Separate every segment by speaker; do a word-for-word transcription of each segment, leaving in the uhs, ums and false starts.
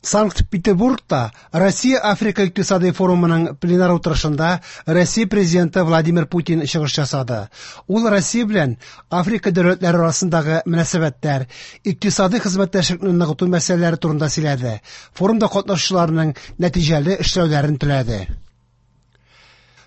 Speaker 1: Санкт-Петербургта Россия-Африка икътисади форумының пленар утырышында Россия президенты Владимир Путин чыгыш ясады. Ул Россия белән Африка дәүләтләре арасындагы мөнәсәбәтләр, икътисади хезмәттәшлекне ныгыту мәсьәләләре турында сөйләде. Форумда катнашучыларның нәтиҗәле эшләүләрен теләде.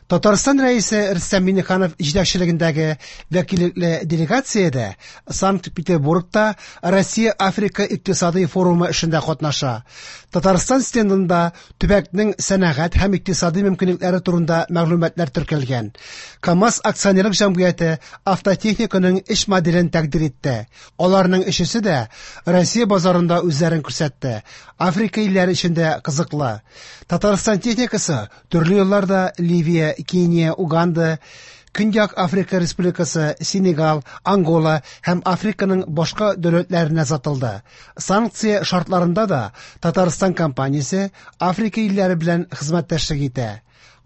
Speaker 1: Татарстан Рәисе Рөстәм Миңнеханов җитәкчелегендәге вәкиллекле делегациядә Санкт-Петербургта Россия-Африка икътисади форумы эшендә катнаша. Татарстан стендында төбәкнең сәнәгать һәм икътисади мөмкинлекләре турында мәгълүматлар теркәлгән. КАМАЗ акционерлык җәмгыяте автотехниканың эш моделен тәкъдир итте. Аларның өчесе дә Россия базарында үзләрен күрсәтте. Африка илләре өчен дә кызыклы. Татарстан техникасы төрле елларда Ливия, Кения, Уганда, Көньяк Африка Республикасы, Сенегал, Ангола һәм Африканың башка дәүләтләренә сатылды. Санкция шартларында да Татарстан компаниясе Африка илләре белән хезмәттәшлек итә.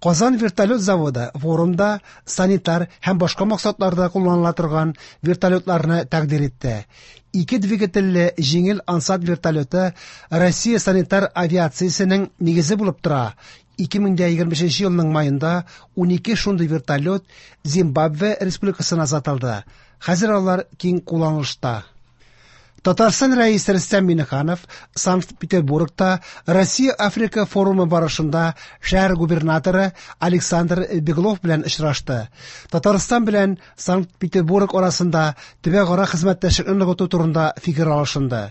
Speaker 1: Казан вертолет заводы форумда санитар һәм башка максатларда кулланыла торган вертолетларны тәкъдир итте. Ике двигательле җиңел Ансат вертолеты Россия санитар авиациясенең нигезе булып тора. ике мең егерме бишенче елның майында унике шундый вертолет Зимбабве Республикасына сатылды. Хәзер алар киң кулланылышта. Татарстан Рәисе Рөстәм Миңнеханов Санкт-Петербургта Россия-Африка форумы барышында шәһәр губернаторы Александр Беглов белән очрашты. Татарстан белән Санкт-Петербург арасында төбәкара хезмәттәшлекне ныгыту турында фикер алышынды.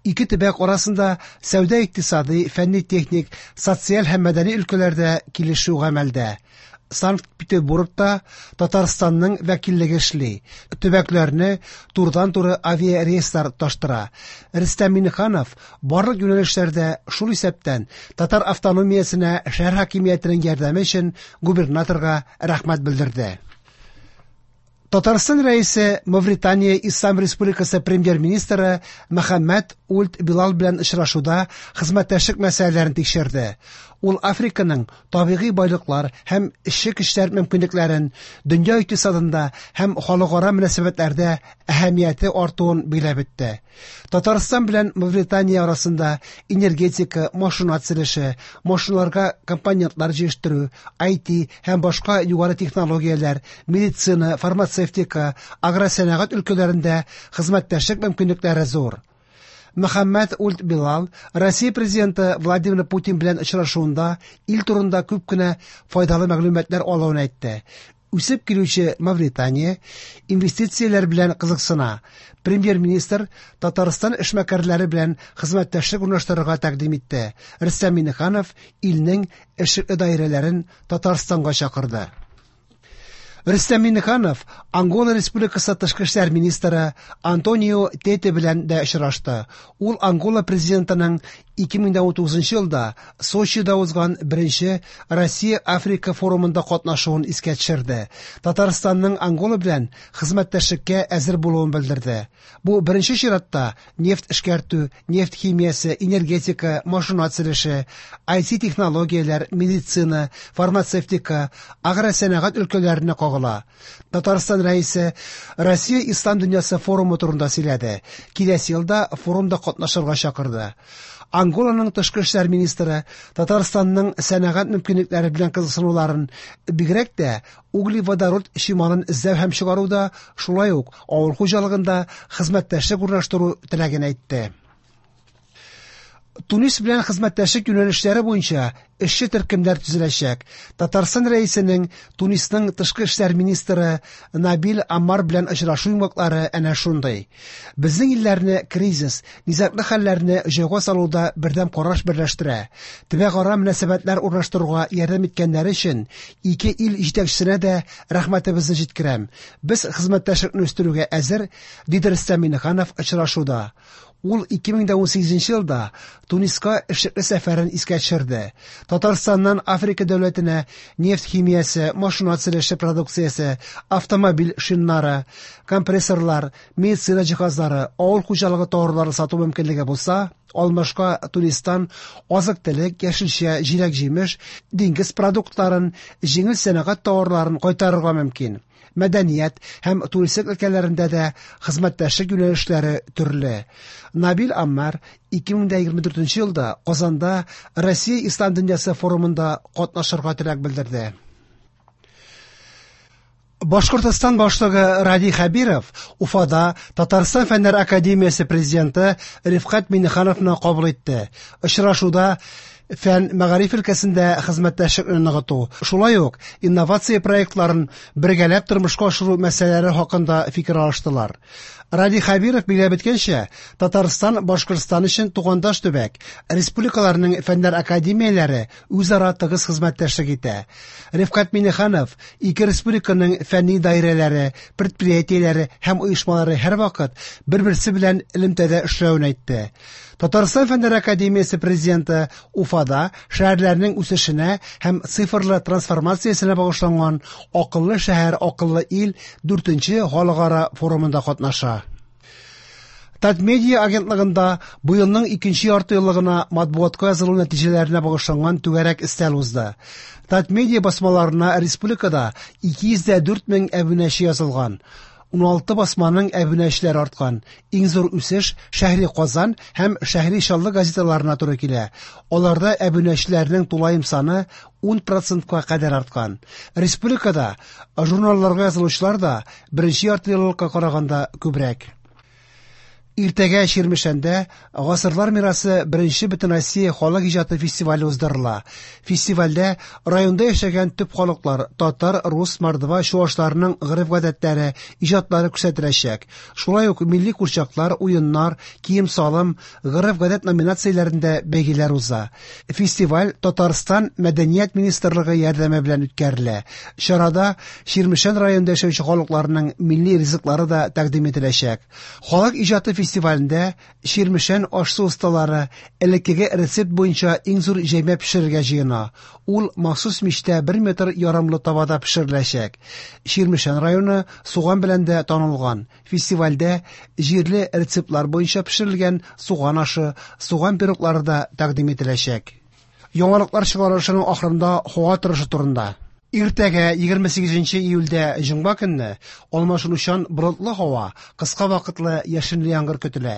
Speaker 1: Ике төбәк арасында сәүдә-икътисади, фәнни-техник, социаль һәм мәдәни өлкәләрдә килешү гамәлдә. Санкт-Петербургта Татарстанның вәкиллеге эшли. Төбәкләрне турыдан-туры авиарейслар тоташтыра. Рөстәм Миңнеханов барлык юнәлешләрдә, шул исәптән татар автономиясенә шәһәр хакимиятенең ярдәме өчен губернаторга рәхмәт белдерде. Татарстан Рәисе Мавритания Ислам Республикасы премьер-министры Мөхәммәд Ульд Билал белән очрашуда хезмәттәшлек мәсьәләләрен тикшерде. Ул Африканың табигый байлыклар һәм эшче көчләр мөмкинлекләрен дөнья икътисадында һәм халыкара мөнәсәбәтләрдә әһәмияте артуын билгеләп үтте. Татарстан белән Мавритания арасында энергетика, машина төзелеше, машиналарга компонентлар җитештерү, ай ти һәм башка югары технологияләр, медицина, фармацевтика, агросәнәгать өлкәләрендә хезмәттәшлек мөмкинлекләре зур. Мөхәммәд Ульд Билал Россия президенты Владимир Путин белән очрашуында ил турында күп кенә файдалы мәгълүматлар алуын әйтте. Үсеп килүче Мавритания инвестицияләр белән кызыксына. Премьер-министр Татарстан эшмәкәрләре белән хезмәттәшлек урнаштырырга тәкъдим итте. Рөстәм Миңнеханов илнең эшлекле даирәләрен Татарстанга чакырды. Рөстәм Миңнеханов Ангола Республикасы тышкы эшләр министры Антонио Тете белән дә очрашты. Ул Ангола президентының ике мең унтугызынчы елда Сочида узган беренче Россия-Африка форумында катнашуын искә төшерде. Татарстанның Ангола белән хезмәттәшлеккә әзер булуын белдерде. Бу беренче чиратта нефть эшкәртү, нефть химиясе, энергетика, машина төзелеше, ай ти технологияләр, медицина, фармацевтика, агросәнәгать өлкәләренә кагыла. Татарстан Рәисе Россия Ислам дөньясы форумы турында сөйләде. Киләсе елда форумда катнашырга чакырды. Анголаның тышкы эшләр министры Татарстанның сәнәгать мөмкинлекләре белән кызыксынуларын, бигрәк тә углеводород чималын эзләү һәм чыгаруда, шулай ук авыл хуҗалыгында хезмәттәшлек урнаштыру теләген әйтте. Тунис белән хезмәттәшлек юнәлешләре буенча эшче төркемнәр төзеләчәк. Татарстан Рәисенең Тунисның тышкы эшләр министры Набил Амар белән очрашу йомгаклары әнә шундый. Безнең илләрне кризис, низаглы хәлләрне җайга салуда бердәм караш берләштерә. Төбәкара мөнәсәбәтләр урнаштыруга ярдәм иткәннәре өчен ике ил җитәкчесенә дә рәхмәтебезне җиткерәм. Без хезмәттәшлекне үстерүгә әзер, диде Рөстәм Миңнеханов очрашуда. Ул ике мең унсигезенче елда Туниска эшлекле сәфәрен искә төшерде. Татарстаннан Африка дәүләтенә нефть химиясе, машина төзелеше продукциясе, автомобиль шиннары, компрессорлар, медицина җиһазлары, авыл хуҗалыгы товарлары сату мөмкинлеге булса, алмашка Тунистан азык-төлек, яшелчә, җиләк-җимеш, диңгез продуктларын, җиңел сәнәгать товарларын кайтарырга мөмкин. Мәдәният һәм туристлык өлкәләрендә дә хезмәттәшлек юнәлешләре төрле. Набил Аммар ике мең егерме дүртенче елда Казанда Россия Ислам дөньясы форумында катнашырга теләк белдерде. Башкортостан башлыгы Радий Хәбиров Уфада Татарстан Фәннәр академиясе президенты Рифкать Миңнехановны кабул итте. Очрашуда фән мәгариф өлкәсендә хезмәттәшлекне ныгыту, шулай ук инновация проектларын бергәләп тормышка ашыру мәсьәләләре хакында фикер алыштылар. Радий Хәбиров билгеләп үткәнчә, Татарстан Башкортстан өчен тугандаш төбәк. Республикаларның фәннәр академияләре үзара тыгыз хезмәттәшлек итә. Рифкать Миңнеханов ике республиканың фәнни даирәләре, предприятиеләре һәм оешмалары һәрвакыт бер-берсе белән элемтәдә эшләвен әйтте. Татарстан Фәннәр академиясе президенты Уфада шәһәрләрнең үсешенә һәм цифрлы трансформациясенә багышланган Акыллы шәһәр, акыллы ил дүртенче халыкара форумында катнаша. Татмедиа агентлыгында быелның икенче ярты еллыгына матбугатка язылу нәтиҗәләренә багышланган түгәрәк өстәл узды. Татмедиа басмаларына республикада ике йөз дә дүрт мең әбүнәче язылган. Уналты басманың әбүнәчеләре арткан. Иң зур үсеш Шәһри Казан һәм Шәһри Чаллы газеталарына туры килә. Аларда әбүнәчеләрнең тулаем саны ун процентка кадәр арткан. Республикада журналларга язылучылар да беренче ярты еллыкка караганда күбрәк. Иртәгә Чирмешәндә Гасырлар мирасы беренче Бөтенроссия халык иҗаты фестивале уздырыла. Фестивальдә районда яшәгән төп халыклар татар, рус, мордва, чуашларның гореф-гадәтләре, иҗатлары күрсәтеләчәк. Шулай ук милли курчаклар, уеннар, кием-салым, гореф-гадәт номинацияләрендә бәйгеләр уза. Фестиваль Татарстан Мәдәният министрлыгы ярдәме белән үткәрелә. Чарада Чирмешән районында яшәүче халыкларның милли ризыклары да тәкъдим ителәчәк. Халык иҗаты фестивалендә Чирмешән аш-су осталары элеккеге рецепт буенча иң зур җәймә пешерергә җыена. Ул махсус мичтә бер метр ярымлы табада пешереләчәк. Чирмешән районы суган белән дә танылган. Фестивальдә җирле рецептлар буенча пешерелгән суган ашы, суган пироглары да тәкъдим ителәчәк. Яңалыклар чыгарылышының ахырында һава торышы турында. Иртәгә егерме сигезенче июльдә җомга көнне алмашынучан болытлы һава, кыска вакытлы яшенле яңгыр көтелә.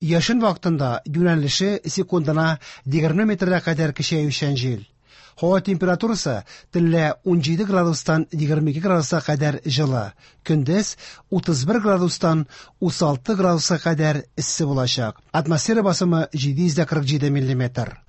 Speaker 1: Яшен вакытында юнәлеше секундына егерме метргә кадәр көчәючән җил. Һава температурасы төнлә унҗиде градустан егерме ике градуска кадәр җылы, көндез утыз бер градустан утыз алты градуска кадәр эссе булачак. Атмосфера басымы җиде йөз дә кырык җиде миллиметр.